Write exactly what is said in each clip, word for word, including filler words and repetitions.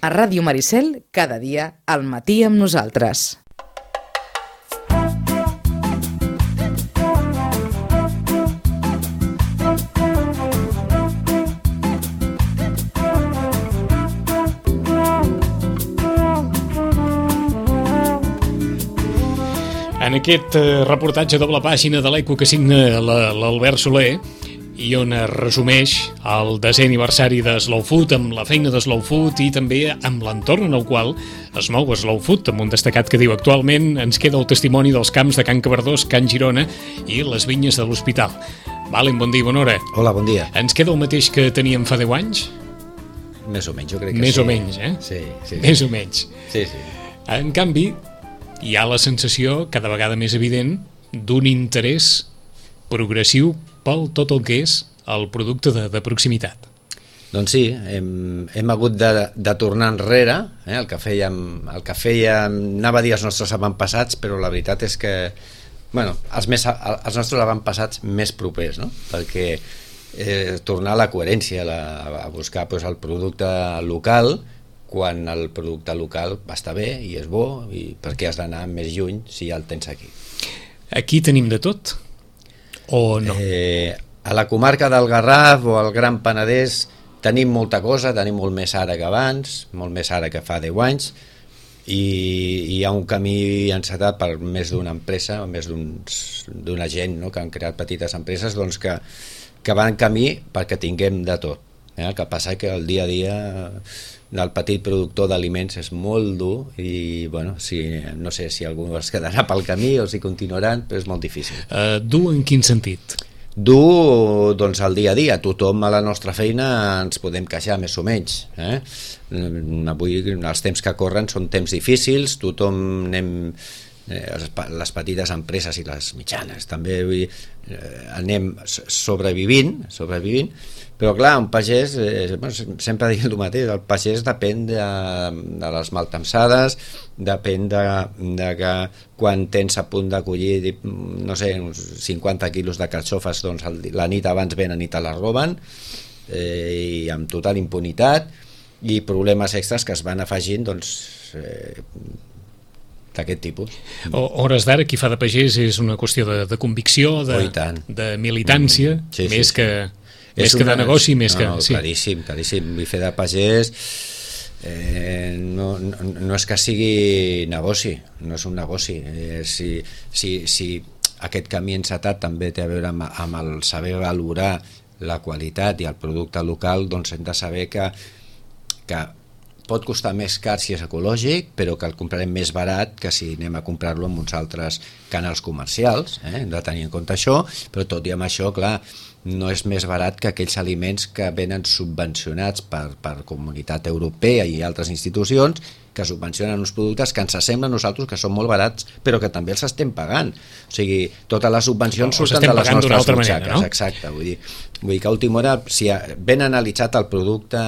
A Ràdio Maricel, cada dia, al matí amb nosaltres. En aquest reportatge a doble pàgina de l'Eco que signa l'Albert Soler i on es resumeix el desè aniversari de Slow Food, amb la feina de Slow Food i també amb l'entorn en el qual es mou Slow Food, amb un destacat que diu: actualment ens queda el testimoni dels camps de Can Cabardós, Can Girona i les vinyes de l'Hospital. Valen, bon dia, bona hora. Hola, bon dia. Ens queda el mateix que teníem fa deu anys? Més o menys, jo crec que Més sí. o menys, eh? Sí, sí. Més o menys. Sí, sí. En canvi, hi ha la sensació, cada vegada més evident, d'un interès progressiu pel tot el que és el producte de, de proximitat. Doncs sí, hem, hem hagut de, de tornar enrere, eh? el que fèiem, el que fèiem, anava a dir els nostres avantpassats, però la veritat és que, bueno, els, més, els nostres avantpassats més propers, no? Perquè eh, tornar a la coherència, la, a buscar pues, el producte local, quan el producte local està bé i és bo, i per què has d'anar més lluny si ja el tens aquí? Aquí tenim de tot? O no? Eh, a la comarca del Garraf o al Gran Penedès tenim molta cosa, tenim molt més ara que abans, molt més ara que fa deu anys, i hi ha un camí encetat per més d'una empresa, més d'una gent, no?, que han creat petites empreses, doncs que, que van en camí perquè tinguem de tot. Eh? El que passa que el dia a dia del petit productor d'aliments és molt dur i, bueno, si, no sé si algú es quedarà pel camí o si continuaran, però és molt difícil. Uh, dur en quin sentit? Dur, doncs, el dia a dia. Tothom a la nostra feina ens podem queixar més o menys. Eh? Avui els temps que corren són temps difícils, tothom anem... les petites empreses i les mitjanes també eh, anem sobrevivint sobrevivint, però clar, un pagès eh, sempre dic el mateix, el pagès depèn de, de les maltemsades, depèn de, de que quan tens a punt de collir, no sé, uns cinquanta quilos de carxofes, doncs la nit abans venen i te les roben, eh, i amb total impunitat, i problemes extras que es van afegint, doncs eh, d'aquest tipus. O, hores d'ara, qui fa de pagès és una qüestió de, de convicció, de, oh, de militància, mm, sí, més, sí, que, sí. més que una, de negoci, més no, que... No, sí. Claríssim, claríssim. Vull fer de pagès eh, no, no, no és que sigui negoci, no és un negoci. Eh, si, si, si aquest camí encetat també té a veure amb, amb el saber valorar la qualitat i el producte local, doncs hem de saber que, que pot costar més car si és ecològic, però que el comprarem més barat que si anem a comprar-lo en uns altres canals comercials, eh? Hem de tenir en compte això, però tot i amb això, clar, no és més barat que aquells aliments que venen subvencionats per, per Comunitat Europea i altres institucions que subvencionen uns productes que ens semblen a nosaltres que són molt barats, però que també els estem pagant. O sigui, totes les subvencions o surten de les nostres butxaques. Manera, no? Exacte, vull dir, vull dir que a última hora, si ben analitzat el producte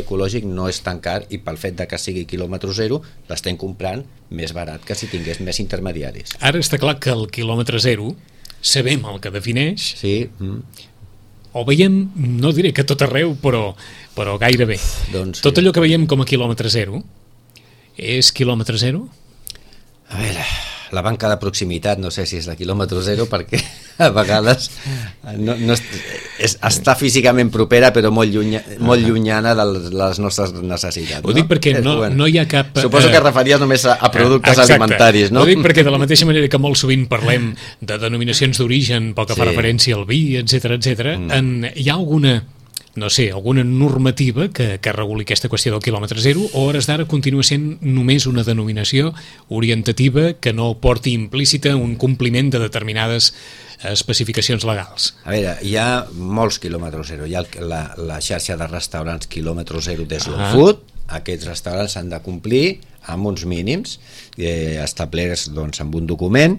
ecològic no és tan car, i pel fet de que sigui quilòmetre zero l'estem comprant més barat que si tingués més intermediaris. Ara està clar que el quilòmetre zero sabem el que defineix. Sí. Mm. O veiem, no diré que tot arreu, però, però gairebé. Doncs, tot sí. Allò que veiem com a quilòmetre zero és quilòmetre zero? A veure, la banca de proximitat no sé si és de quilòmetre zero, perquè a vegades no, no és, és, està físicament propera però molt, llunya, molt llunyana de les nostres necessitats. Ho dic no? perquè no, bueno, no hi ha cap... Suposo que es referia només a, a productes exacte. alimentaris, no? Ho dic perquè de la mateixa manera que molt sovint parlem de denominacions d'origen pel que sí. fa referència al vi, etcètera, etcètera, mm. en, hi ha alguna... no sé, alguna normativa que, que reguli aquesta qüestió del quilòmetre zero, o a hores d'ara continua sent només una denominació orientativa que no porti implícita un compliment de determinades especificacions legals? A veure, hi ha molts quilòmetres zero. Hi ha la, la xarxa de restaurants quilòmetre zero de Slow ah. Food. Aquests restaurants han de complir amb uns mínims eh, establerts doncs, amb un document.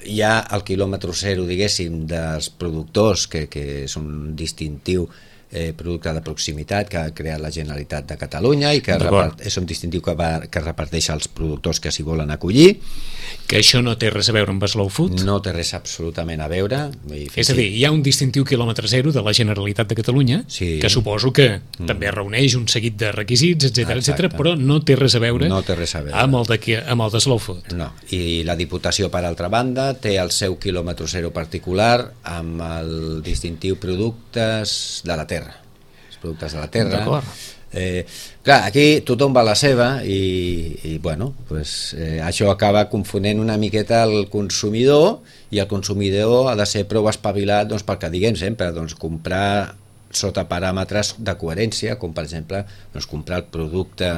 Hi ha el quilòmetre zero, diguéssim, dels productors, que, que és un distintiu eh, producte de proximitat que ha creat la Generalitat de Catalunya i que repart, és un distintiu que, va, que reparteix als productors que s'hi volen acollir. Que això no té res a veure amb Slow Food? No té res absolutament a veure. És a dir, hi ha un distintiu quilòmetre zero de la Generalitat de Catalunya, sí. que suposo que mm. també reuneix un seguit de requisits, etcètera, etcètera, però no té res a veure, no té res a veure. Amb, el de, amb el de Slow Food. No, i la Diputació, per altra banda, té el seu quilòmetre zero particular amb el distintiu productes de la terra. Els productes de la terra. D'acord. Eh, clar, aquí tothom va a la seva i, i bueno, pues, eh, això acaba confonent una miqueta el consumidor, i el consumidor ha de ser prou espavilat, doncs, perquè diguem sempre, doncs, comprar sota paràmetres de coherència, com per exemple doncs, comprar el producte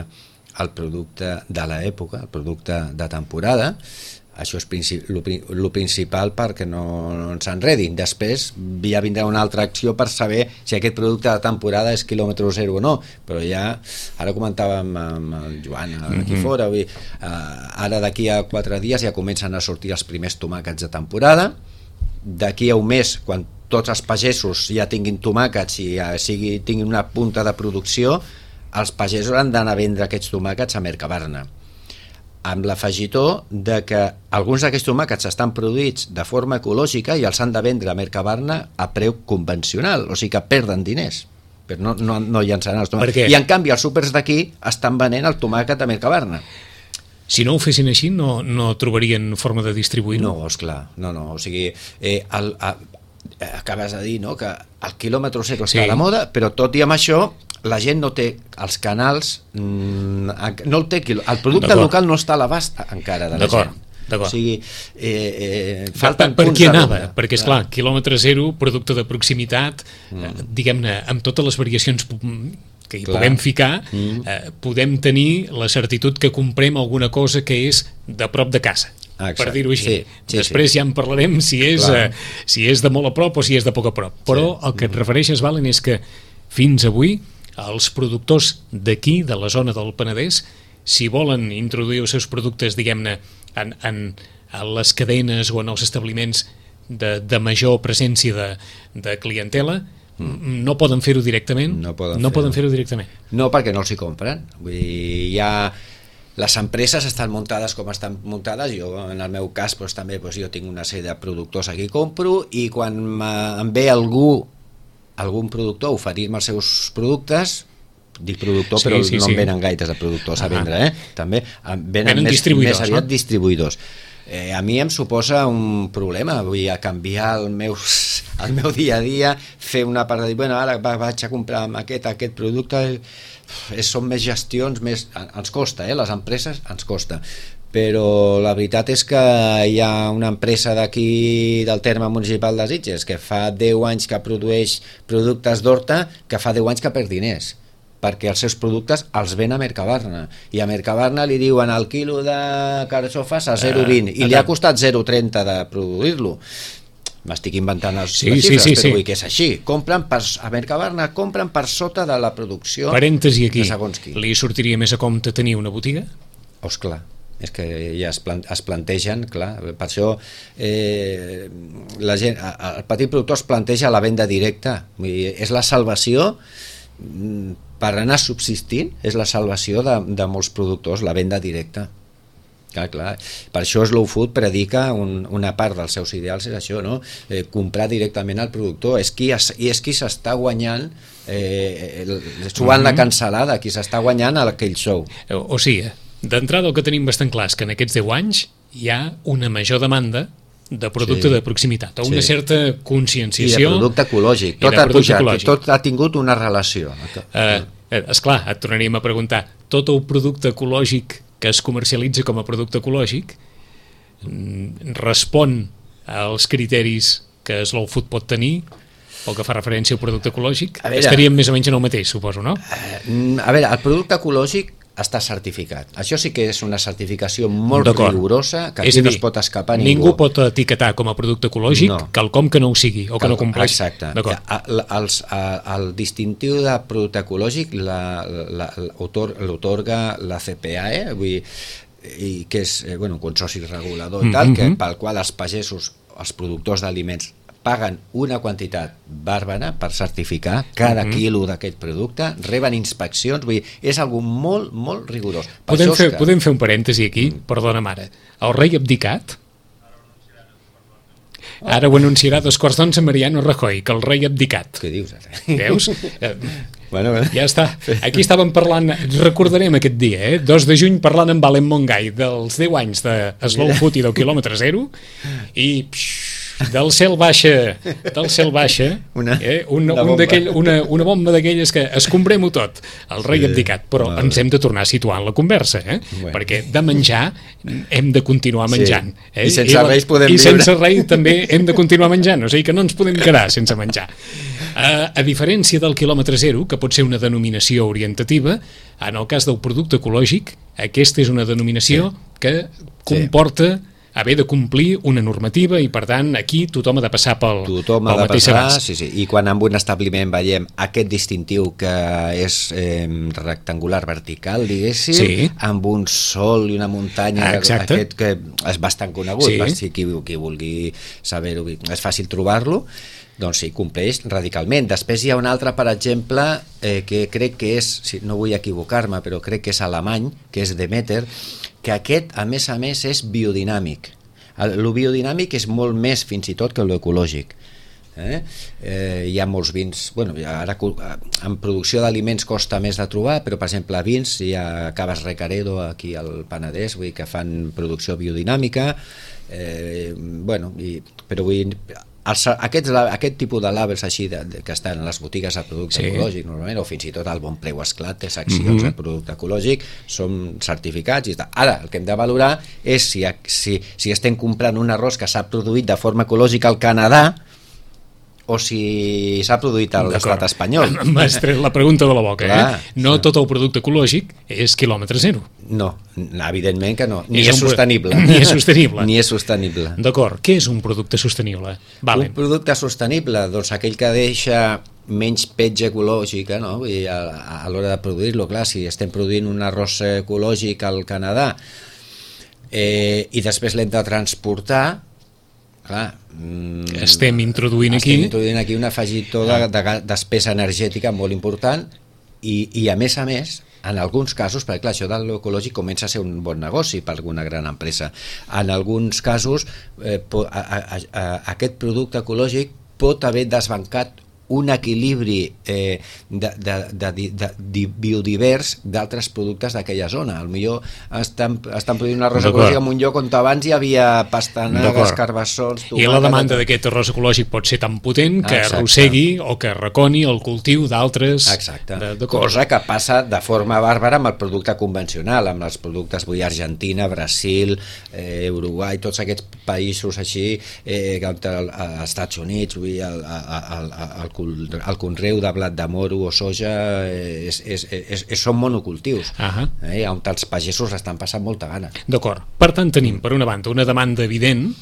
el producte de l'època, el producte de temporada. Això és el principal perquè no, no ens enredin. Després ja vindrà una altra acció per saber si aquest producte de temporada és quilòmetre zero o no, però ja, ara comentàvem amb el Joan aquí fora, vull, uh, ara d'aquí a quatre dies ja comencen a sortir els primers tomàquets de temporada. D'aquí a un mes, quan tots els pagesos ja tinguin tomàquets i ja sigui, tinguin una punta de producció, els pagesos han d'anar a vendre aquests tomàquets a Mercabarna, amb l'afegitó de que alguns d'aquests tomàquets estan produïts de forma ecològica i els han de vendre a Mercabarna a preu convencional, o sigui que perden diners, però no, no, no llançaran els tomàquets. I en canvi els súpers d'aquí estan venent el tomàquet a Mercabarna. Si no ho fessin així, no, no trobarien forma de distribuir-ho? No, esclar, no, no, o sigui, eh, el, el, acabes de dir, no?, que el quilòmetre zero està sí. a la moda, però tot i amb això la gent no té els canals, no el té, el producte local no està a l'abast encara de la gent. D'acord. O sigui, eh, eh, falten per, per punts qui de anava? ronda. Perquè, esclar, quilòmetre zero, producte de proximitat, mm. eh, diguem-ne, amb totes les variacions que hi clar. Puguem ficar, mm. eh, podem tenir la certitud que comprem alguna cosa que és de prop de casa. Exacte. Per dir-ho així. Sí, sí, després sí. ja en parlarem si és, eh, si és de molt a prop o si és de poc a prop. Però sí. el que et refereixes, Valen, és que fins avui els productors d'aquí, de la zona del Penedès, si volen introduir els seus productes, diguem-ne, en, en, en les cadenes o en els establiments de, de major presència de, de clientela, mm. no poden fer-ho directament? No poden, no fer poden fer-ho directament. No, perquè no els hi compren. Vull dir, ja les empreses estan muntades com estan muntades. Jo, en el meu cas, doncs, també doncs, jo tinc una sèrie de productors aquí que compro, i quan em ve algú algun productor a oferir-me els seus productes, dic productor, sí, però sí, no sí. em venen gaites de productors a vendre, eh? També venen, venen més, més aviat no? distribuïdors. Eh, a mi em suposa un problema, vull a canviar el meu, el meu dia a dia, fer una part de dir, bueno, ara vaig a comprar aquest, aquest producte, eh, són més gestions, més, ens costa, eh? Les empreses ens costa. Però la veritat és que hi ha una empresa d'aquí del terme municipal de Sitges que fa deu anys que produeix productes d'horta, que fa deu anys que perd diners, perquè els seus productes els ven a Mercabarna, i a Mercabarna li diuen el quilo de carxofes a zero coma vint i li ha costat zero coma trenta de produir-lo. M'estic inventant les, sí, les xifres, sí, sí, però sí. vull que és així. Compren per, a Mercabarna compren per sota de la producció. Parèntesi aquí, li sortiria més a compte tenir una botiga? Oh, esclar. És que ja es, plant, es plantegen, clar, per això eh, la gent, el petit productor es planteja la venda directa. Vull dir, és la salvació per anar subsistint, és la salvació de, de molts productors, la venda directa. Clar, clar. Per això Slow Food predica un, una part dels seus ideals és això, no? Eh, comprar directament al productor, és qui, es, i és qui s'està guanyant eh, suant mm-hmm. la cansalada, qui s'està guanyant aquell show. O, o sigui, d'entrada el que tenim bastant clar és que en aquests deu anys hi ha una major demanda de producte sí. de proximitat, o una sí. certa conscienciació. I de producte ecològic, tot, ha, pujat, ecològic. tot ha tingut una relació. Eh, esclar, et tornaríem a preguntar, tot el producte ecològic que es comercialitza com a producte ecològic respon als criteris que Slow Food pot tenir, o que fa referència al producte ecològic? A veure, estaríem més o menys en el mateix, suposo, no? A veure, el producte ecològic està certificat. Això sí que és una certificació molt rigorosa, que aquí no es pot escapar ningú. Ningú pot etiquetar com a producte ecològic no. quelcom que no ho sigui o que no compleix. Exacte. El, els, el distintiu de producte ecològic l'otorga la C P A E, vull dir, i que és bueno, un consorci regulador i tal, mm-hmm. que, pel qual els pagesos, els productors d'aliments paguen una quantitat bàrbara per certificar cada uh-huh. quilo d'aquest producte, reben inspeccions, vull dir, és algo molt, molt rigorós. Per podem, fer, que... podem fer un parèntesi aquí, mm. perdona mare, el rei abdicat? Ara ho anunciarà dos quarts d'onze Mariano Rajoy, que el rei abdicat. Què dius ara? Veus? Bueno, bueno. Ja està. Aquí estàvem parlant, recordarem aquest dia, eh? dos de juny, parlant amb Valen Mongai dels deu anys de Slow Food i del quilòmetre zero, i psh, del cel baixa, del cel baixa, una, eh? una, una, un bomba. una, una bomba d'aquelles que escombrem-ho tot, el rei sí, abdicat, però bueno. ens hem de tornar a situar en la conversa, eh? Bueno. Perquè de menjar hem de continuar menjant. Sí. Eh? I sense I la, reis podem I viure. sense rei també hem de continuar menjant, o sigui que no ens podem quedar sense menjar. Uh, a diferència del quilòmetre zero, que pot ser una denominació orientativa, en el cas del producte ecològic, aquesta és una denominació sí. que comporta sí. haver de complir una normativa i, per tant, aquí tothom ha de passar pel, tothom pel ha de mateix passar, abast. sí, sí. I quan en un establiment veiem aquest distintiu que és eh, rectangular vertical, diguéssim, sí. amb un sol i una muntanya, exacte. aquest que és bastant conegut, sí. per si qui, qui vulgui saber-ho, és fàcil trobar-lo, doncs sí, compleix radicalment. Després hi ha un altre, per exemple, eh, que crec que és, si no vull equivocar-me, però crec que és alemany, que és Demeter, que aquest, a més a més, és biodinàmic. El biodinàmic és molt més, fins i tot, que l'ecològic. Eh? Eh, hi ha molts vins, bueno, ara en producció d'aliments costa més de trobar, però per exemple a vins hi ha Caves Recaredo aquí al Penedès, vull dir que fan producció biodinàmica, eh, bueno, i, però vull dir, Els, aquests, aquest tipus de labels així de, de, que estan a les botigues de producte sí. ecològic normalment, o fins i tot al Bon Preu Esclat té seccions mm -hmm. de producte ecològic, són certificats i tal. Ara el que hem de valorar és si, si, si estem comprant un arròs que s'ha produït de forma ecològica al Canadà o si s'ha produït a l'estat espanyol. M'has tret la pregunta de la boca. Clar, eh? No sí. tot el producte ecològic és quilòmetre zero. No, evidentment que no. Ni és, és sostenible. Ni és sostenible. Ni és sostenible. D'acord. Què és un producte sostenible? Vale. Un producte sostenible, doncs aquell que deixa menys petja ecològica, no? Vull dir, a, a l'hora de produir-lo, clar, si estem produint un arròs ecològic al Canadà eh, i després l'hem de transportar, clar, estem introduint estem aquí introduint aquí un afegitó de, de despesa energètica molt important i, i a més a més en alguns casos, perquè clar, això de l'ecològic comença a ser un bon negoci per alguna gran empresa, en alguns casos eh, a, a, a, aquest producte ecològic pot haver desbancat un equilibri eh, de, de, de, de, de biodivers d'altres productes d'aquella zona. Al millor estan, estan produint un arròs ecològic en un lloc on abans hi havia pastanagues, carbassons, tomàquet... I la demanda d'aquest arròs ecològic pot ser tan potent que Exacte. arrossegui o que reconi el cultiu d'altres... Exacte. De, de cosa que passa de forma bàrbara amb el producte convencional, amb els productes, vull dir, Argentina, Brasil, eh, Uruguai, tots aquests països així, eh, als Estats Units, vull dir, el, el, el, el el conreu de blat de moro o soja és, és, és, és, són monocultius uh -huh. eh, on els pagesos estan passant molta gana. D'acord, per tant tenim per una banda una demanda evident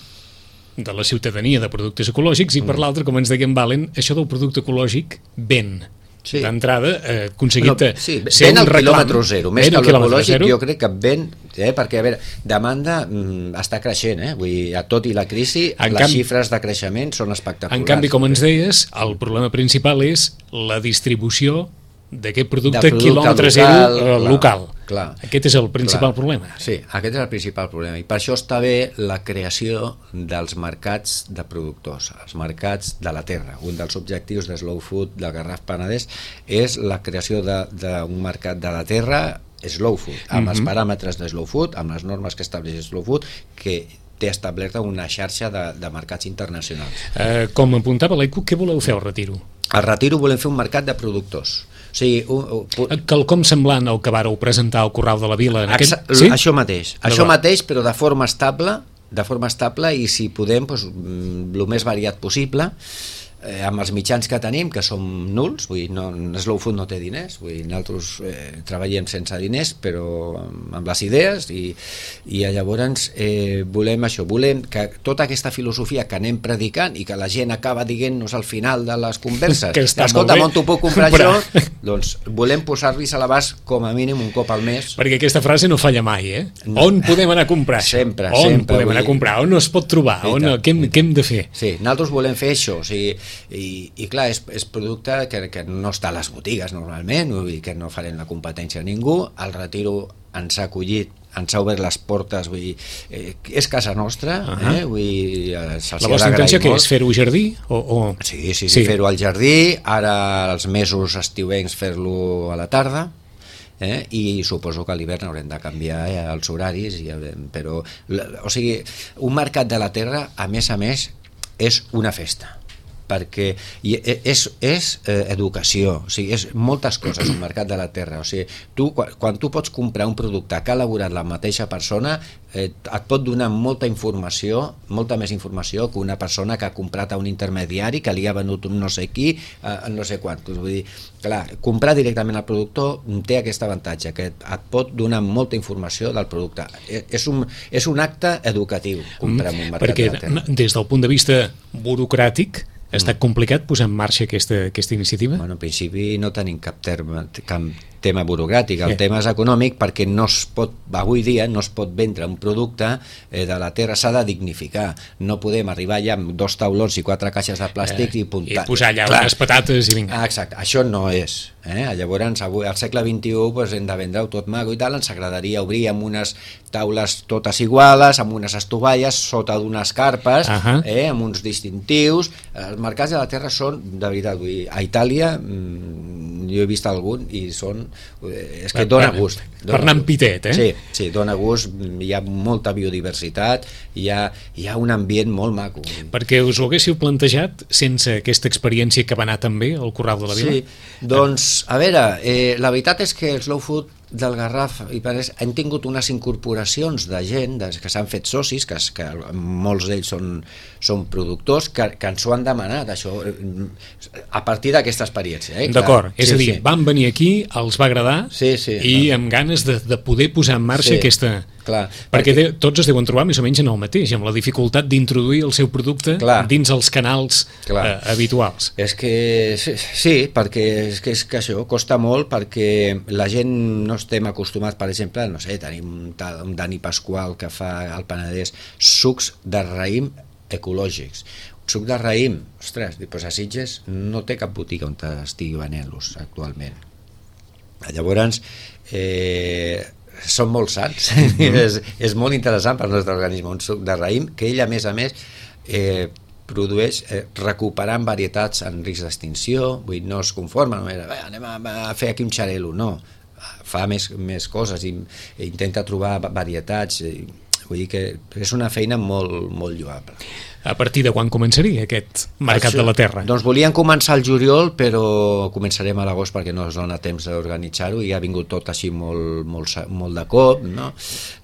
de la ciutadania de productes ecològics i per mm. l'altra, com ens deien Valen, això del producte ecològic ven. Sí. D'entrada, eh, aconseguit no, sí, ser un reclam, quilòmetre zero, més que l'ecològic, jo crec que ven, eh, perquè a veure, demanda mm, està creixent, eh? Vull dir, tot i la crisi, en les canvi, xifres de creixement són espectaculars. En canvi, com ens deies, el problema principal és la distribució d'aquest producte, de producte quilòmetre local, zero eh, clar, local. Clar, aquest és el principal clar. problema. Sí, aquest és el principal problema, i per això està bé la creació dels mercats de productors, els mercats de la terra. Un dels objectius de Slow Food del Garraf Penedès és la creació d'un mercat de la terra Slow Food, amb mm -hmm. els paràmetres de Slow Food, amb les normes que estableix Slow Food, que té establerta una xarxa de, de mercats internacionals. Eh, com apuntava l'E Q, què voleu fer al Retiro? Al Retiro volem fer un mercat de productors. O sigui, un, un... quelcom semblant al que vareu presentar al Corral de la Vila en aquest... sí? Això mateix, això mateix, però de forma estable, de forma estable i si podem, doncs, el més variat possible. eh, amb els mitjans que tenim, que som nuls, vull dir, no, Slow Food no té diners, vull dir, nosaltres eh, treballem sense diners, però amb, amb les idees, i, i llavors eh, volem això, volem que tota aquesta filosofia que anem predicant i que la gent acaba dient-nos al final de les converses, escolta, on t'ho puc comprar això, doncs volem posar-los a l'abast com a mínim un cop al mes. Perquè aquesta frase no falla mai, eh? No. On podem anar a comprar això? Sempre, on sempre. podem anar a comprar? On es pot trobar? On, què, hem, què hem de fer? Sí, nosaltres volem fer això, o sigui, i, i clar, és, és producte que, que no està a les botigues normalment, vull dir que no farem la competència a ningú. El Retiro ens ha acollit, ens ha obert les portes, vull dir, eh, és casa nostra, uh -huh. eh, vull dir, la vostra intenció que és fer-ho jardí? O, o... Sí, sí, sí, sí. fer-ho al jardí, ara els mesos estiuencs fer-lo a la tarda, Eh? i suposo que a l'hivern haurem de canviar eh, els horaris, i haurem, però o sigui, un mercat de la terra a més a més és una festa, perquè és, és eh, educació, o sigui, és moltes coses un mercat de la terra, o sigui, tu, quan, quan tu pots comprar un producte que ha elaborat la mateixa persona, eh, et pot donar molta informació, molta més informació que una persona que ha comprat a un intermediari que li ha venut un no sé qui, eh, no sé quant. Vull dir, clar, comprar directament al productor té aquest avantatge, que et pot donar molta informació del producte. És un, és un acte educatiu comprar en un mercat perquè, de la terra. Des del punt de vista burocràtic, ha estat complicat posar en marxa aquesta, aquesta iniciativa? Bueno, en principi no tenim cap, terme, cap tema burocràtic, el sí. tema és econòmic, perquè no es pot, avui dia no es pot vendre un producte eh, de la terra, s'ha de dignificar, no podem arribar allà amb dos taulons i quatre caixes de plàstic eh, i puntar. I posar allà Clar. unes patates i vinga. Ah, exacte, això no és. Eh? Llavors, avui, al segle vint-i-u, pues, hem de vendre-ho tot maco i tal, ens agradaria obrir amb unes taules totes iguales, amb unes estovalles, sota d'unes carpes, uh -huh. eh, amb uns distintius. Els mercats de la terra són, de veritat, vull dir, a Itàlia, mmm, jo he vist algun i són, és que dona gust. Per anar amb pitet, eh? Sí, sí, dona gust, hi ha molta biodiversitat, hi ha, hi ha un ambient molt maco. Perquè us ho haguéssiu plantejat sense aquesta experiència que va anar també al Corral de la Vila? Sí, doncs, a veure, eh, la veritat és que el Slow Food del Garraf i Penedès han tingut unes incorporacions de gent de, que s'han fet socis, que, que molts d'ells són, són productors, que, que ens ho han demanat, això, a partir d'aquesta experiència. Eh? D'acord, és sí, a dir, sí. van venir aquí, els va agradar, sí, sí, i no. amb ganes de, de poder posar en marxa sí, aquesta... Clar, perquè, perquè de, tots es deuen trobar més o menys en el mateix, amb la dificultat d'introduir el seu producte clar, dins els canals eh, habituals. És que sí, sí, perquè és que, és que això costa molt, perquè la gent no estem acostumats, per exemple, no sé, tenim un, un Dani Pasqual que fa al Penedès sucs de raïm ecològics. Un suc de raïm, ostres, doncs a Sitges no té cap botiga on estigui venent-los actualment. Llavors, eh, són molt sants, mm-hmm. és, és molt interessant per al nostre organisme, un suc de raïm que ell a més a més eh, produeix eh, recuperant varietats en risc d'extinció, vull dir, no es conforma, no era, anem a, a fer aquí un xarelo, no, fa més, més coses i, i intenta trobar varietats, i, vull dir que és una feina molt, molt lloable. A partir de quan començaria aquest mercat Això, de la terra? Doncs volíem començar el juliol, però començarem a l'agost perquè no es dona temps d'organitzar-ho i ha vingut tot així molt, molt, molt de cop, no?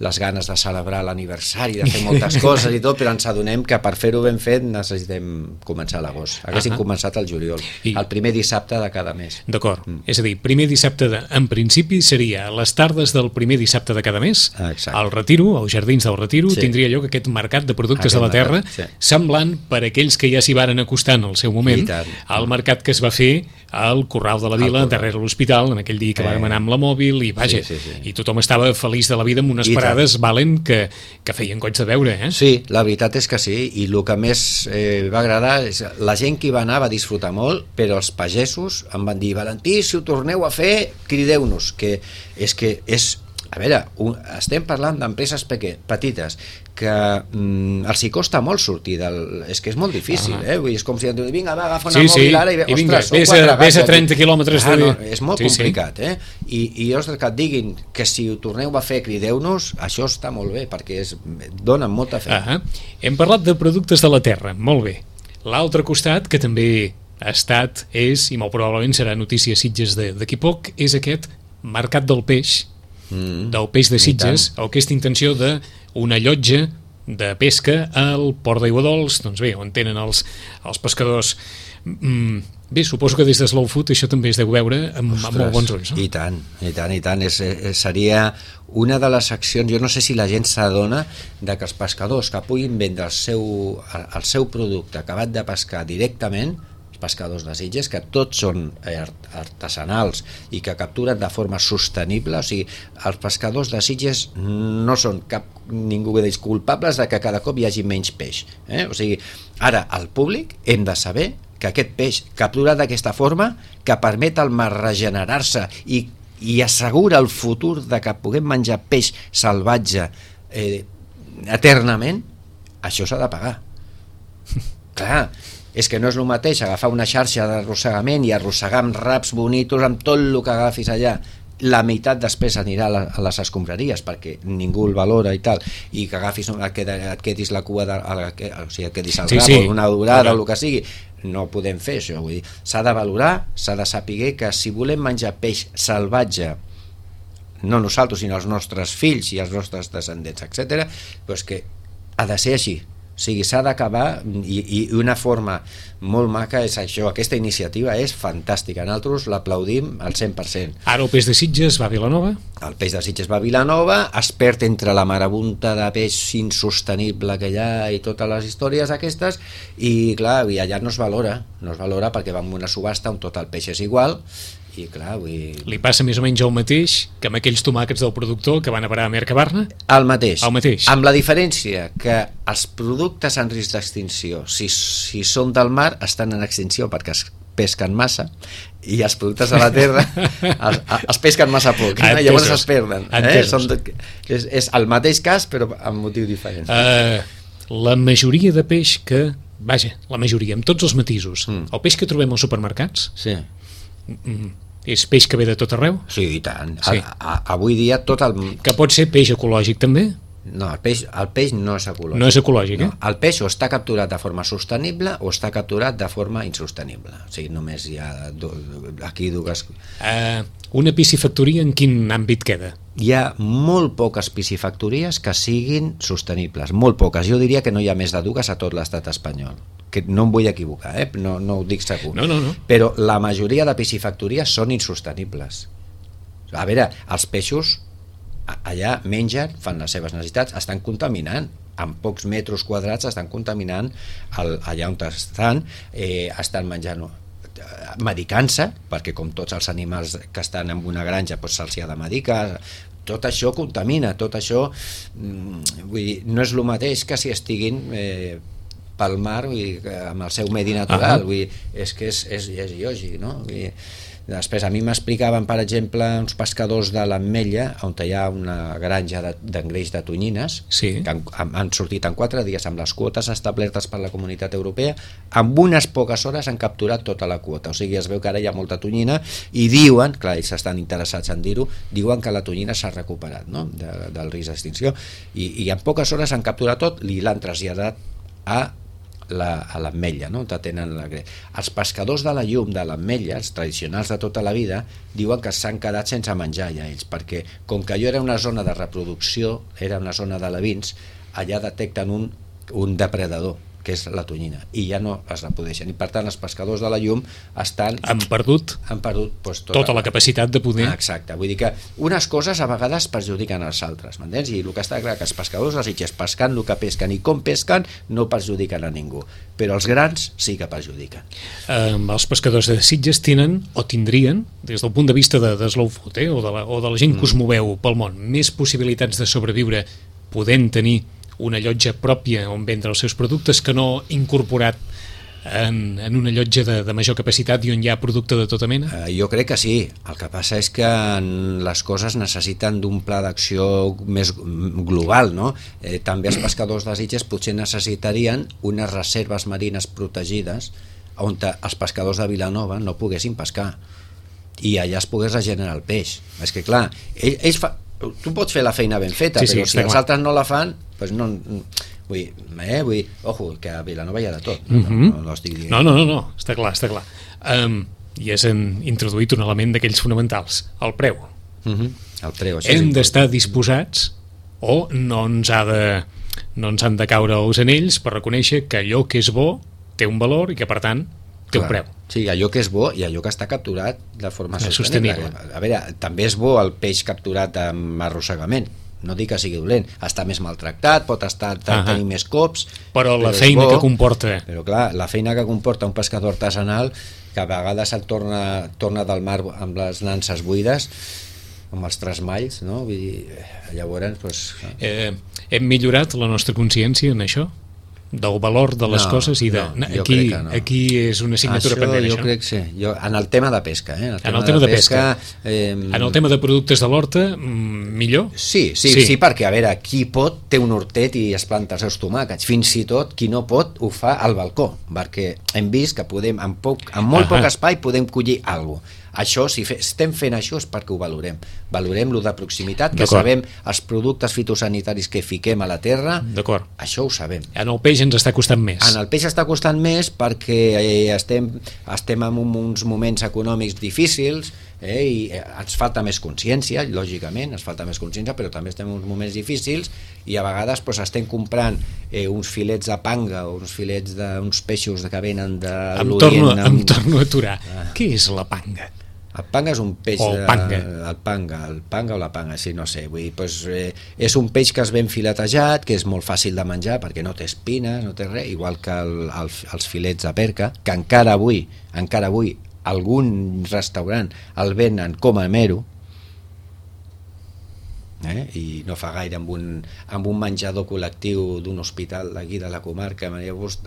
Les ganes de celebrar l'aniversari, de fer moltes coses i tot, però ens adonem que per fer-ho ben fet necessitem començar a l'agost. Haguéssim uh -huh. començat el juliol, I... el primer dissabte de cada mes. D'acord, mm. és a dir, primer dissabte, de, en principi seria a les tardes del primer dissabte de cada mes, Exacte. al Retiro, als Jardins del Retiro, sí. tindria lloc aquest mercat de productes aquest de la terra, mercat, sí. semblant per aquells que ja s'hi varen acostar en el seu moment al mercat que es va fer al Corral de la Vila, darrere l'hospital, en aquell dia que eh. vàrem anar amb la mòbil, i vaja, sí, sí, sí. i tothom estava feliç de la vida amb unes I parades tant. Valen que, que feien goig de veure, eh? Sí, la veritat és que sí, i el que més eh, va agradar és la gent que hi va anar va disfrutar molt, però els pagesos em van dir, Valentí, si ho torneu a fer, crideu-nos, que és que és a veure, un, estem parlant d'empreses petites que mm, els hi costa molt sortir del... És que és molt difícil, ah, eh? Vull dir, és com si em diuen, vinga, va, agafa una sí, mòbil sí. ara i, I vinga, ostres, vés a, vés a trenta quilòmetres ah, de... no, és molt sí, complicat, sí. eh? I, i ostres, que et diguin que si ho torneu a fer, crideu-nos, això està molt bé, perquè és, donen molta feina. Ah, hem parlat de productes de la terra, molt bé. L'altre costat, que també ha estat, és, i molt probablement serà notícia Sitges d'aquí poc, és aquest mercat del peix, Mm, del peix de Sitges, o aquesta intenció d'una llotja de pesca al Port d'Aiguadols, doncs bé, on tenen els, els pescadors Mm, bé, suposo que des de Slow Food això també es deu veure amb, amb molt bons ulls, no? I tant, i tant, i tant. És, és, seria una de les accions, jo no sé si la gent s'adona de que els pescadors que puguin vendre el seu, el seu producte acabat de pescar directament, els pescadors de Sitges, que tots són artesanals i que capturen de forma sostenible, o sigui, els pescadors de Sitges no són cap ningú d'ells culpables de que cada cop hi hagi menys peix, eh? O sigui, ara, al públic hem de saber que aquest peix capturat d'aquesta forma, que permet al mar regenerar-se i, i assegura el futur de que puguem menjar peix salvatge eh, eternament, això s'ha de pagar. Clar, és que no és el mateix agafar una xarxa d'arrossegament i arrossegar amb raps bonitos, amb tot el que agafis allà. La meitat després anirà a, la, a les escombraries perquè ningú el valora i tal, i que agafis, et, queda, et quedis la cua de, a, o sigui, et quedis al sí, rap, sí, una durada okay. o el que sigui. No podem fer això, vull dir, s'ha de valorar, s'ha de saber que si volem menjar peix salvatge, no nosaltres sinó els nostres fills i els nostres descendents, etcètera, doncs que ha de ser així. O sigui, s'ha d'acabar, i, i una forma molt maca és això, aquesta iniciativa és fantàstica, nosaltres l'aplaudim al cent per cent. Ara el peix de Sitges va a Vilanova? El peix de Sitges va a Vilanova, es perd entre la marabunta de peix insostenible que hi ha i totes les històries aquestes, i clar, i allà no es valora, no es valora perquè va en una subhasta on tot el peix és igual, i clar, vull dir... Li passa més o menys el mateix que amb aquells tomàquets del productor que van a parar a Mercabarna? El mateix, el mateix, amb la diferència que els productes en risc d'extinció, si, si són del mar, estan en extinció perquè es pesquen massa, i els productes de la terra es, es pesquen massa poc, eh? Llavors es perden. Eh? Són, és, és el mateix cas, però amb motiu diferent. Uh, la majoria de peix que... Vaja, la majoria, amb tots els matisos. Mm. El peix que trobem als supermercats... Sí. És peix que ve de tot arreu? Sí, i tant. Sí. A, a, avui dia tot el... Que pot ser peix ecològic també? No, el peix, el peix no és ecològic. No és ecològic, no. eh? El peix o està capturat de forma sostenible o està capturat de forma insostenible. O sigui, només hi ha do, aquí dues... Uh, una piscifactoria en quin àmbit queda? Hi ha molt poques piscifactories que siguin sostenibles, molt poques. Jo diria que no hi ha més de dues a tot l'estat espanyol. Que no em vull equivocar, eh? no, no ho dic segur. No, no, no. Però la majoria de piscifactories són insostenibles. A veure, els peixos allà mengen, fan les seves necessitats, estan contaminant, en pocs metres quadrats estan contaminant el, allà on estan, eh, estan menjant, medicant-se, perquè com tots els animals que estan en una granja doncs se'ls ha de medicar, tot això contamina, tot això vull dir, no és el mateix que si estiguin eh, pel mar, vull dir, amb el seu medi natural. Vull dir, és que és, és, és lògic, no? Vull dir, després a mi m'explicaven, per exemple, uns pescadors de l'Ametlla, on hi ha una granja d'engreix de, de tonyines, sí. que han, han sortit en quatre dies amb les quotes establertes per la Comunitat Europea, amb unes poques hores han capturat tota la quota, o sigui, es veu que ara hi ha molta tonyina, i diuen, clar, ells estan interessats en dir-ho, diuen que la tonyina s'ha recuperat, no?, de, del risc d'extinció, i, i en poques hores han capturat tot, i l'han traslladat a La, a l'Ametlla, no? Tenen la... Els pescadors de la llum de l'Ametlla, els tradicionals de tota la vida, diuen que s'han quedat sense menjar ja ells, perquè com que allò era una zona de reproducció, era una zona d'alevins, allà detecten un, un depredador, que és la tonyina, i ja no es reprodueixen, i per tant els pescadors de la llum estan... Han perdut, han perdut doncs, tota, tota la capacitat de poder... Ah, exacte, vull dir que unes coses a vegades perjudiquen els altres, m'entens? I el que està clar que els pescadors de Sitges pescant el que pesquen i com pesquen no perjudiquen a ningú, però els grans sí que perjudiquen. Eh, els pescadors de Sitges tenen, o tindrien, des del punt de vista de, de Slow Food, eh, o, de la, o de la gent que us moveu pel món, més possibilitats de sobreviure podent tenir una llotja pròpia on vendre els seus productes que no incorporat en, en una llotja de, de major capacitat i on hi ha producte de tota mena? Uh, jo crec que sí. El que passa és que les coses necessiten d'un pla d'acció més global, no? Eh, també els pescadors de Sitges potser necessitarien unes reserves marines protegides on els pescadors de Vilanova no poguessin pescar i allà es pogués regenerar el peix. És que clar, ells, ells fa... tu pots fer la feina ben feta, sí, però sí, si els clar. altres no la fan, doncs no... Vull dir, eh, vull dir, ojo, que a Vilanova hi ha de tot. No, uh-huh. no, no, estic dient. no, no, no, no, està clar, està clar. Um, I has introduït un element d'aquells fonamentals, el preu. Uh-huh. El preu, això Hem d'estar disposats o no ens, ha de, no ens han de caure els anells per reconèixer que allò que és bo té un valor i que, per tant, té un preu. Sí, allò que és bo i allò que està capturat de forma sostenible. sostenible. A veure, també és bo el peix capturat amb arrossegament, no dic que sigui dolent, està més maltractat, pot estar uh-huh. tenir més cops, però la feina bo, que comporta... Però clar, la feina que comporta un pescador artesanal, que a vegades el torna, torna del mar amb les nanses buides, amb els trasmalls, no? Vull dir, llavors... Doncs... Eh, hem millorat la nostra consciència en això? Del valor de les no, coses i de... No, aquí, no. aquí és una assignatura això, pendent, jo això? crec que sí. Jo, en el tema de pesca, eh? En el tema, en el tema de, de pesca. pesca eh... En el tema de productes de l'horta, millor? Sí, sí, sí, sí, perquè, a veure, qui pot té un hortet i es planta els seus tomàquets. Fins i tot, qui no pot, ho fa al balcó, perquè hem vist que podem, amb, poc, amb molt uh-huh. poc espai, podem collir alguna cosa. Això, si fe, estem fent això és perquè ho valorem. Valorem lo de proximitat, que sabem els productes fitosanitaris que fiquem a la terra. D'acord. Això ho sabem. En el peix ens està costant més. En el peix està costant més perquè eh, estem, estem en uns moments econòmics difícils, eh, i ens falta més consciència, lògicament, ens falta més consciència, però també estem en uns moments difícils i a vegades pues, estem comprant eh, uns filets de panga o uns filets d'uns peixos que venen de l'Orient. Em torno a aturar. Ah. Què és la panga? El panga és un peix... O el panga. De, el panga, el panga o la panga, sí, no sé. Vull dir, pues, eh, és un peix que és ben filetejat, que és molt fàcil de menjar perquè no té espines, no té res, igual que el, el, els filets de perca, que encara avui, encara avui, algun restaurant el venen com a mero, eh? I no fa gaire amb un, amb un menjador col·lectiu d'un hospital d'aquí de la comarca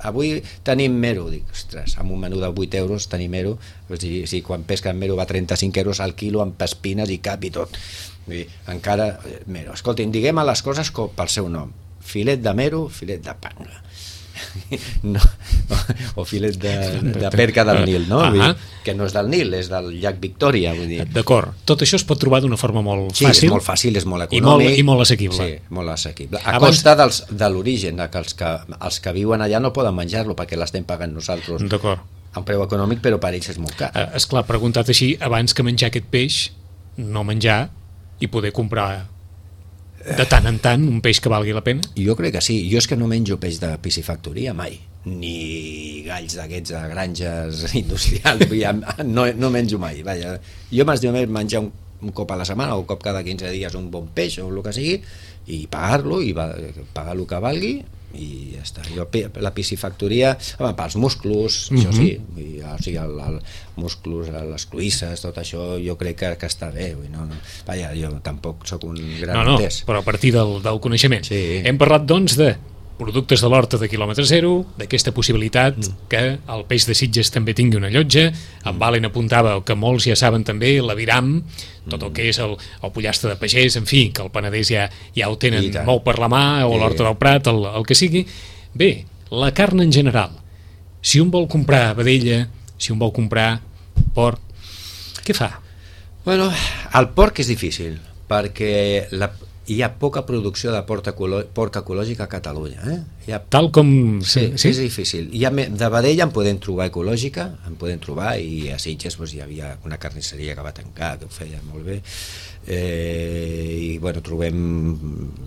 avui tenim mero, dic, ostres, amb un menú de vuit euros tenim mero, o sigui, si quan pesquen mero va trenta-cinc euros al quilo amb espines i cap i tot. Vull dir, encara mero, escoltin, diguem a les coses com pel seu nom, filet de mero, filet de panga. No, o filet de, de perca del Nil, no? Vull dir, que no és del Nil, és del llac Victòria, vull dir. D'acord, tot això es pot trobar d'una forma molt sí, fàcil. Sí, és molt fàcil, és molt I econòmic. molt, i molt assequible. Sí, molt assequible. A Abans... costa dels, de l'origen, que els, que els que viuen allà no poden menjar-lo perquè l'estem pagant nosaltres. D'acord. A un preu econòmic, però per ells és molt car. Eh, esclar, preguntat així, abans que menjar aquest peix, no menjar i poder comprar de tant en tant un peix que valgui la pena? Jo crec que sí. Jo és que no menjo peix de piscifactoria mai, ni galls d'aquests de granges industrials. no, no menjo mai. Vaja. Jo m'estiu més menjar un, un cop a la setmana o un cop cada quinze dies un bon peix o el que sigui i pagar-lo i va, pagar el que valgui i ja està. Jo, la piscifactoria, home, pels musclos, mm-hmm. això sí, i, o sigui, el, el musclos, les cloïsses, tot això, jo crec que, que està bé. No, no. Vaja, jo tampoc sóc un gran no, no, entès. Però a partir del, del coneixement. Sí. Hem parlat, doncs, de productes de l'horta de quilòmetre zero, d'aquesta possibilitat mm. que el peix de Sitges també tingui una llotja. En mm. Valen apuntava el que molts ja saben també, l'aviram, tot el que és el, el pollastre de pagès, en fi, que el Penedès ja, ja ho tenen molt per la mà, o l'horta del Prat, el, el que sigui. Bé, la carn en general, si un vol comprar vedella, si un vol comprar porc, què fa? Bueno, el porc és difícil, perquè la hi ha poca producció de porc, ecolò porc ecològic a Catalunya. Eh? Hi ha... Tal com... Sí, sí, és difícil. Hi ha de vedella en podem trobar ecològica, en podem trobar, i a Sitges doncs, hi havia una carnisseria que va tancar, que ho feia molt bé, eh, i bueno, trobem...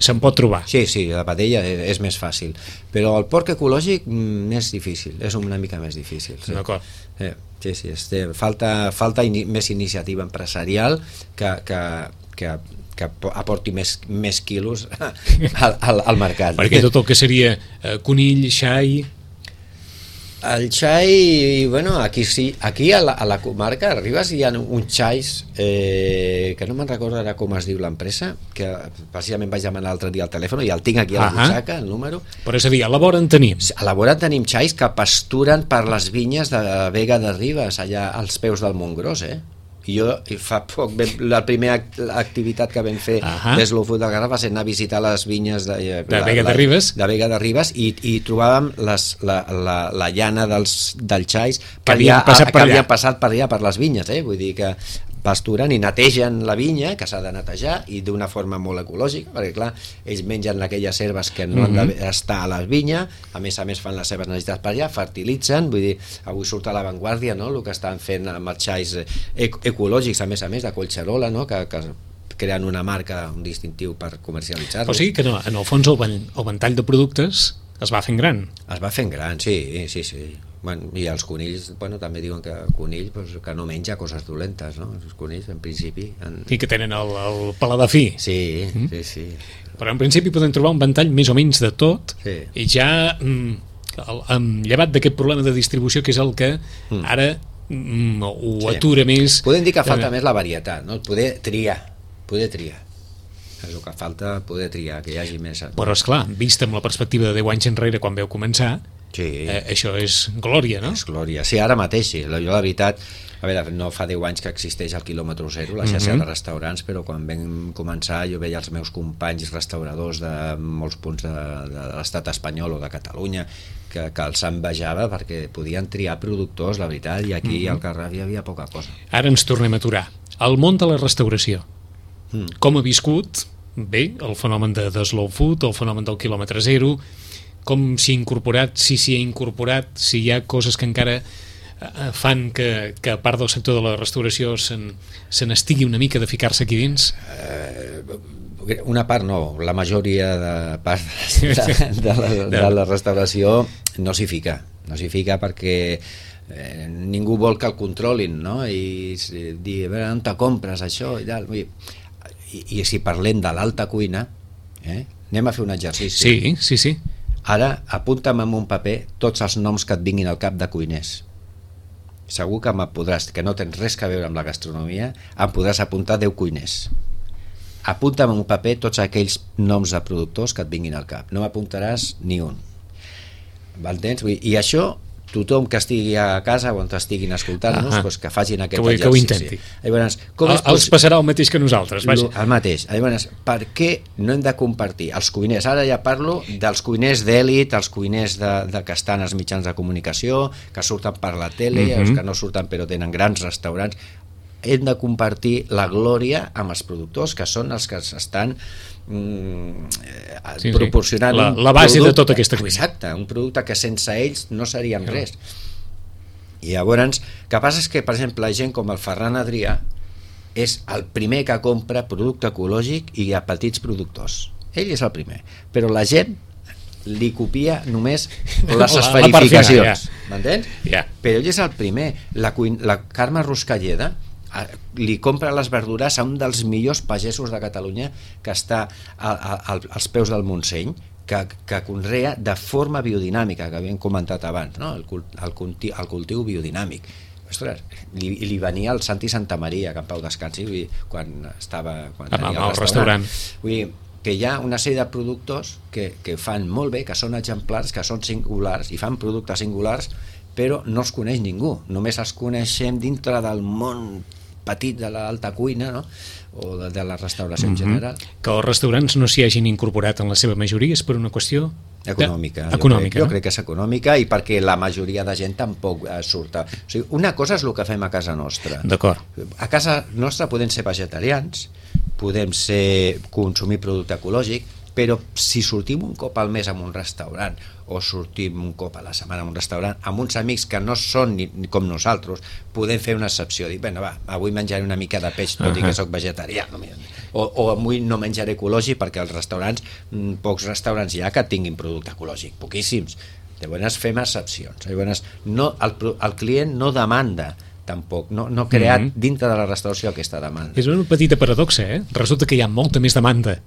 Se'n pot trobar. Sí, sí, la vedella és més fàcil, però el porc ecològic és difícil, és una mica més difícil. Sí. D'acord. Eh, sí, sí, este, falta, falta ini més iniciativa empresarial que... que, que que aporti més, més quilos al, al, al mercat. Perquè tot el que seria eh, conill, xai... El xai, bueno, aquí sí, aquí a la, a la comarca arribes i hi ha uns xais eh, que no me'n recordo ara com es diu l'empresa, que precisament vaig demanar l'altre dia al telèfon i el tinc aquí a la butxaca, el número. Però és a dir, a la vora en tenim. A la vora en tenim xais que pasturen per les vinyes de Vega de Ribes, allà als peus del Montgròs, eh? Jo fa poc, la primera activitat que vam fer uh -huh. des de l'Ofut del Garraf va ser anar a visitar les vinyes de, de Vega de Ribes, de Vega de Ribes i, i trobàvem les, la, la, la llana dels, dels xais que havien passat, per, allà. passat per allà per les vinyes, eh? Vull dir que pasturen i netegen la vinya, que s'ha de netejar, i d'una forma molt ecològica, perquè clar, ells mengen aquelles herbes que no mm-hmm. han d'estar a la vinya, a més a més fan les seves necessitats per allà, fertilitzen, vull dir, avui surt a l'avantguàrdia, no?, el que estan fent amb els xais ecològics, a més a més, de Collserola, no?, que, que creen una marca, un distintiu per comercialitzar-los. O sigui que no, en el fons el, el ventall de productes es va fent gran. Es va fent gran, sí, sí, sí. Bueno, i els conills, bueno, també diuen que el conill pues, que no menja coses dolentes, no? Els conills, en principi... En... I que tenen el, el paladar fi. Sí, mm? sí, sí. Però en principi podem trobar un ventall més o menys de tot, sí. I ja, mm, el, el, llevat d'aquest problema de distribució, que és el que mm. ara mm, ho sí. atura més... Podem dir que falta eh... més la varietat, no? Poder triar, poder triar. És el que falta, poder triar, que hi hagi més... Però, esclar, vist amb la perspectiva de deu anys enrere, quan veu començar, sí. eh, això és glòria, no? És glòria. Sí, ara mateix, sí. Jo, la veritat, a veure, no fa deu anys que existeix el quilòmetre zero, la xarxa mm-hmm. de restaurants, però quan vam començar jo veia els meus companys restauradors de molts punts de, de l'estat espanyol o de Catalunya, que, que els envejava perquè podien triar productors, la veritat, i aquí mm-hmm. al Garraf hi havia poca cosa. Ara ens tornem a aturar. El món de la restauració. Mm. Com ha viscut, bé, el fenomen de, de slow food, el fenomen del quilòmetre zero, com s'hi ha incorporat, si s'hi ha incorporat, si hi ha coses que encara eh, fan que, que a part del sector de la restauració se n'estigui una mica de ficar-se aquí dins? Eh, una part no, la majoria de part de, de, la, de la restauració no s'hi fica, no s'hi fica perquè eh, ningú vol que el controlin, no? I dir, a veure, on te compres això i tal, vull dir, I, i si parlem de l'alta cuina, eh? Anem a fer un exercici. Sí, sí, sí. Ara apunta'm en un paper tots els noms que et vinguin al cap de cuiners. Segur que me podràs, que no tens res a veure amb la gastronomia, em podràs apuntar deu cuiners. Apunta'm en un paper tots aquells noms de productors que et vinguin al cap. No m'apuntaràs ni un. M'entens? I això tothom que estigui a casa o on estiguin escoltant-nos, ah, doncs que facin aquest que exercici. Que ho intenti. Llavors, com el, els passarà el mateix que nosaltres. Vaja. El mateix. Llavors, per què no hem de compartir els cuiners? Ara ja parlo dels cuiners d'èlit, els cuiners de, de que estan als mitjans de comunicació, que surten per la tele, mm-hmm. els que no surten però tenen grans restaurants. Hem de compartir la glòria amb els productors, que són els que estan mm, sí, proporcionant sí. La, la base producte, de tota aquesta cuina. Exacte, un producte que sense ells no seríem no. res. I llavors, el que passa és que, per exemple, gent com el Ferran Adrià és el primer que compra producte ecològic i a petits productors. Ell és el primer, però la gent li copia només les esferificacions, m'entens? Yeah. Però ell és el primer. La, la Carme Ruscalleda li compra les verdures a un dels millors pagesos de Catalunya que està a, a, a, als peus del Montseny, que, que conrea de forma biodinàmica, que havíem comentat abans, no? el, el, cultiu, el cultiu biodinàmic. Ostres, li, li venia el Santi Santamaria, que en pau descansi, vull dir, quan estava quan tenia el restaurant. Vull dir, que hi ha una sèrie de productors que, que fan molt bé, que són exemplars, que són singulars i fan productes singulars, però no els coneix ningú, només els coneixem dintre del món petit de l'alta cuina, no? O de, de la restauració mm-hmm. en general. Que els restaurants no s'hi hagin incorporat en la seva majoria és per una qüestió econòmica. De... econòmica, jo, crec, no? jo crec que és econòmica i perquè la majoria de gent tampoc eh, surt. O sigui, una cosa és el que fem a casa nostra. D'acord. A casa nostra podem ser vegetarians, podem ser consumir producte ecològic, però si sortim un cop al mes a un restaurant o sortim un cop a la setmana a un restaurant amb uns amics que no són ni, ni com nosaltres, podem fer una excepció, dir, bueno, va, avui menjaré una mica de peix tot uh-huh. i que soc vegetarià, o, o avui no menjaré ecològic, perquè als restaurants, pocs restaurants hi ha que tinguin producte ecològic, poquíssims. Llavors fem excepcions. Llavors, no, el, el client no demanda tampoc, no, no ha creat mm-hmm. dintre de la restauració aquesta demanda. És una petita paradoxa, eh? Resulta que hi ha molta més demanda,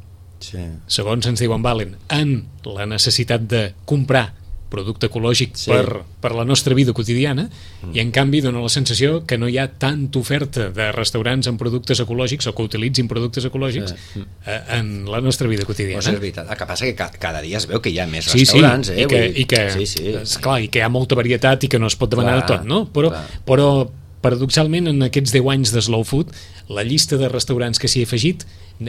sí. segons ens diuen Valen, en la necessitat de comprar producte ecològic sí. per, per la nostra vida quotidiana mm. i en canvi dona la sensació que no hi ha tanta oferta de restaurants amb productes ecològics o que utilitzin productes ecològics sí. eh, en la nostra vida quotidiana. Pues és veritat. El que passa és que cada dia es veu que hi ha més sí, restaurants. Sí, eh? i que, i que, sí, sí. esclar, i que hi ha molta varietat i que no es pot demanar clar, tot, no? Però, però paradoxalment en aquests deu anys de Slow Food la llista de restaurants que s'hi ha afegit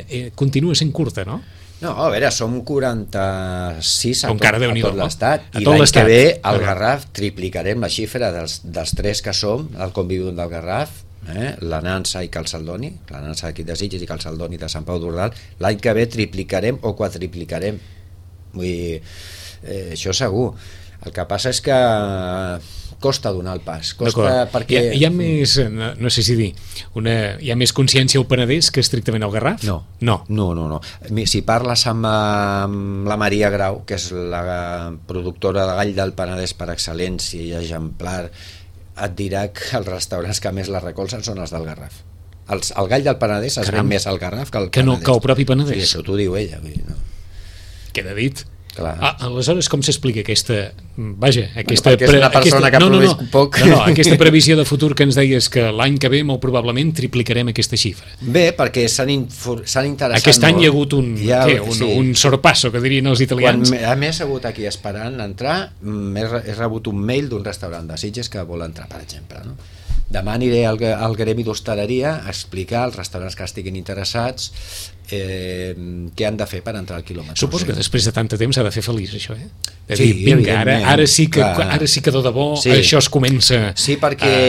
eh, continua sent curta, no? No, a veure, som quaranta-sis a tot, a tot l'estat i tot l'any que ve al okay. Garraf triplicarem la xifra dels, dels tres que som, el convivent del Garraf, eh? la Nansa i Calçaldoni, la Nansa d'aquí de Sitges i Calçaldoni de Sant Pau d'Ordal, l'any que ve triplicarem o quadriplicarem. Vull dir, eh, això segur. El que passa és que costa donar el pas. Costa perquè... Hi ha, hi ha més, no, no sé si dir, una, hi ha més consciència al Penedès que estrictament al Garraf? No. No. No, no, no. Si parles amb, amb la Maria Grau, que és la productora de gall del Penedès per excel·lència i exemplar, et dirà que els restaurants que més la recolzen són els del Garraf. Els, el gall del Penedès es ven més al Garraf que al que Penedès. No, que el propi Penedès. Sí, això t'ho diu ella. Vull dir, no. Queda dit. Ah, aleshores, com s'explica aquesta... Vaja, aquesta... Perquè és una persona aquesta, que no, no, produeix no, poc. No, no, aquesta previsió de futur que ens deies que l'any que ve molt probablement triplicarem aquesta xifra. Bé, perquè s'han interessat Aquest any molt. hi ha hagut un, ha, què, un, sí. un sorpasso, que dirien els italians. Quan a més he hagut aquí esperant entrar, he rebut un mail d'un restaurant de Sitges que vol entrar, per exemple, no? Demà aniré al, al gremi d'hostaleria a explicar als restaurants que estiguin interessats eh, què han de fer per entrar al quilòmetre. Suposo que després de tant de temps s'ha de fer feliç, això, eh? De sí, dir, vinga, ara, ara, sí que, ara sí que de debò sí. això es comença... Sí, perquè a,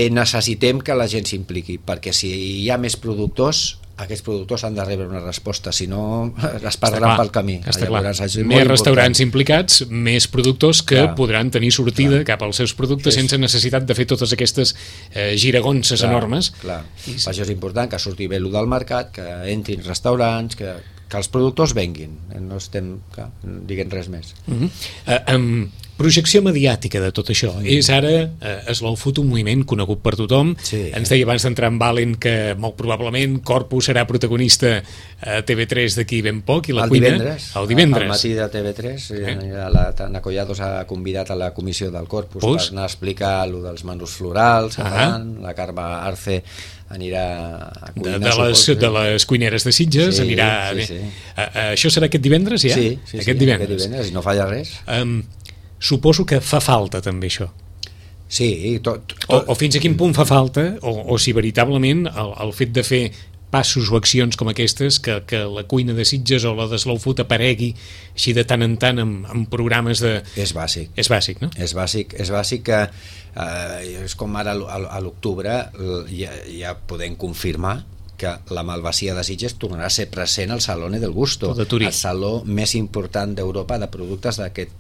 a... necessitem que la gent s'impliqui, perquè si hi ha més productors, aquests productors han de rebre una resposta, si no es perdran pel camí. Llavors, més restaurants implicats, més productors que clar. podran tenir sortida clar. cap als seus productes sí. sense necessitat de fer totes aquestes eh, giragonses clar, enormes. Clar. I... Per això és important que surti bé el del mercat, que entrin restaurants, que, que els productors venguin. No estem clar, dient res més. Uh -huh. uh, um, projecció mediàtica de tot això. Mm. És ara eh, Slow Food un moviment conegut per tothom. Sí. Ens deia abans d'entrar en Valen que molt probablement Corpus serà protagonista a T V tres d'aquí ben poc i la el cuina... Divendres, el divendres. Al matí de T V tres eh? la Tana Collados ha convidat a la comissió del Corpus Pus? per anar a explicar allò dels menús florals, uh-huh. la Carme Arce anirà a cuinar. De, de, les, de les cuineres de Sitges sí, anirà... Sí, sí. Uh, uh, això serà aquest divendres ja? Sí, sí, aquest sí divendres. aquest divendres, i no falla res. Um, Suposo que fa falta també això. Sí, tot, tot. O, o fins a quin punt fa falta, o, o si veritablement el, el fet de fer passos o accions com aquestes, que, que la cuina de Sitges o la de Slow Food aparegui així de tant en tant amb, amb programes de... És bàsic. És bàsic, no? És bàsic, és bàsic que eh, és com ara a l'octubre ja, ja podem confirmar que la Malvasia de Sitges tornarà a ser present al Salone del Gusto, el saló més important d'Europa de productes d'aquest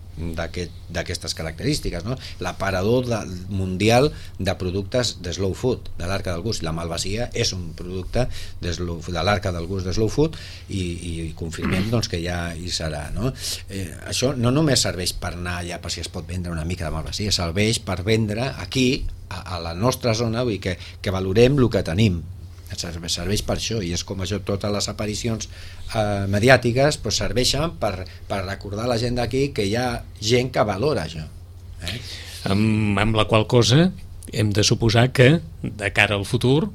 d'aquestes característiques, no? L'aparador de, mundial de productes de Slow Food, de l'Arca del Gust. La Malvasia és un producte de, slow, de l'Arca del Gust de Slow Food i, i confirmem doncs, que ja hi serà, no? Eh, això no només serveix per anar allà per si es pot vendre una mica de Malvasia, serveix per vendre aquí a, a la nostra zona, vull dir que, que valorem el que tenim. Serveix per això, i és com això, totes les aparicions eh, mediàtiques pues, serveixen per, per recordar a la gent d'aquí que hi ha gent que valora això, eh? amb, amb la qual cosa hem de suposar que de cara al futur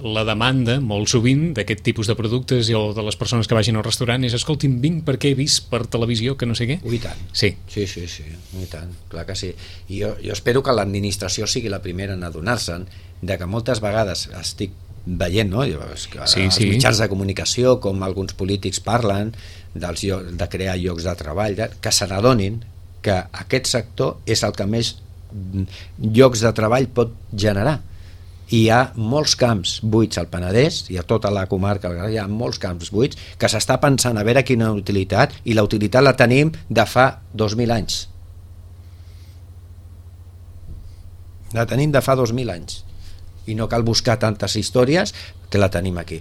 la demanda molt sovint d'aquest tipus de productes o de les persones que vagin al restaurant és escolti'm, vinc perquè he vist per televisió que no sé què. I tant. Sí. Sí, sí, sí, i tant, clar que sí. I jo, jo espero que l'administració sigui la primera en adonar-se'n de que moltes vegades estic veient, no? Que sí, els sí. mitjans de comunicació, com alguns polítics parlen dels llocs, de crear llocs de treball, que se n'adonin que aquest sector és el que més llocs de treball pot generar. I hi ha molts camps buits al Penedès i a tota la comarca, hi ha molts camps buits que s'està pensant a veure quina utilitat, i la utilitat la tenim de fa dos mil anys. La tenim de fa dos mil anys. I no cal buscar tantes històries, que la tenim aquí.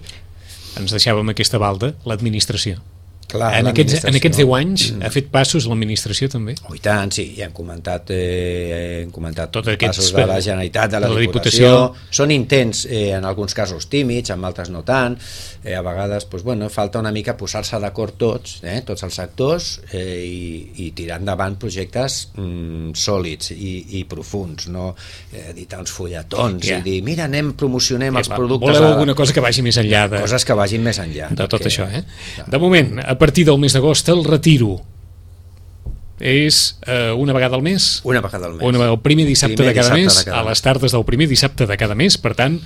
Ens deixàvem aquesta balda, l'administració. Clar, en, aquests, en aquests deu anys mm. ha fet passos l'administració també? Oh, i tant, sí, ja hem comentat, eh, hem comentat Tot passos de la Generalitat, de la, de la Diputació. Diputació. Són intents, eh, en alguns casos tímids, en altres no tant. Eh, a vegades pues, bueno, falta una mica posar-se d'acord tots, eh, tots els sectors, eh, i, i tirar endavant projectes mm, sòlids i, i profunds, no eh, editar uns fulletons yeah. i dir, mira, anem, promocionem yeah, els productes. Voleu alguna cosa que vagi més enllà de... Coses que vagin més enllà. De tot perquè, això, eh? Clar. De moment, a partir del mes d'agost, el retiro és eh, una vegada al mes? Una vegada al mes. Una, el primer dissabte, primer de, cada dissabte mes, de cada mes, a les tardes del primer dissabte de cada mes, per tant,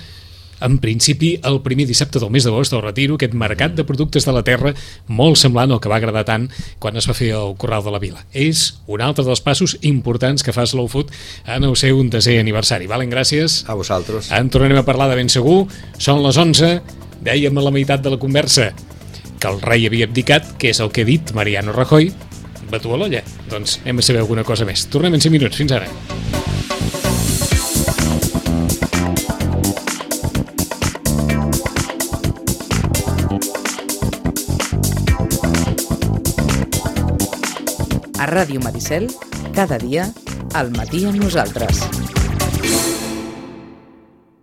en principi, el primer dissabte del mes d'agost, el retiro, aquest mercat de productes de la terra, molt semblant al que va agradar tant quan es va fer el Corral de la Vila. És un altre dels passos importants que fa Slow Food en el seu desè aniversari. Valen, gràcies. A vosaltres. En tornarem a parlar de ben segur. Són les onze, dèiem a la meitat de la conversa que el rei havia abdicat, que és el que ha dit Mariano Rajoy. Batu a l'olla. Doncs anem a saber alguna cosa més. Tornem en cinc minuts. Fins ara. A Ràdio Maricel, cada dia, al matí amb nosaltres.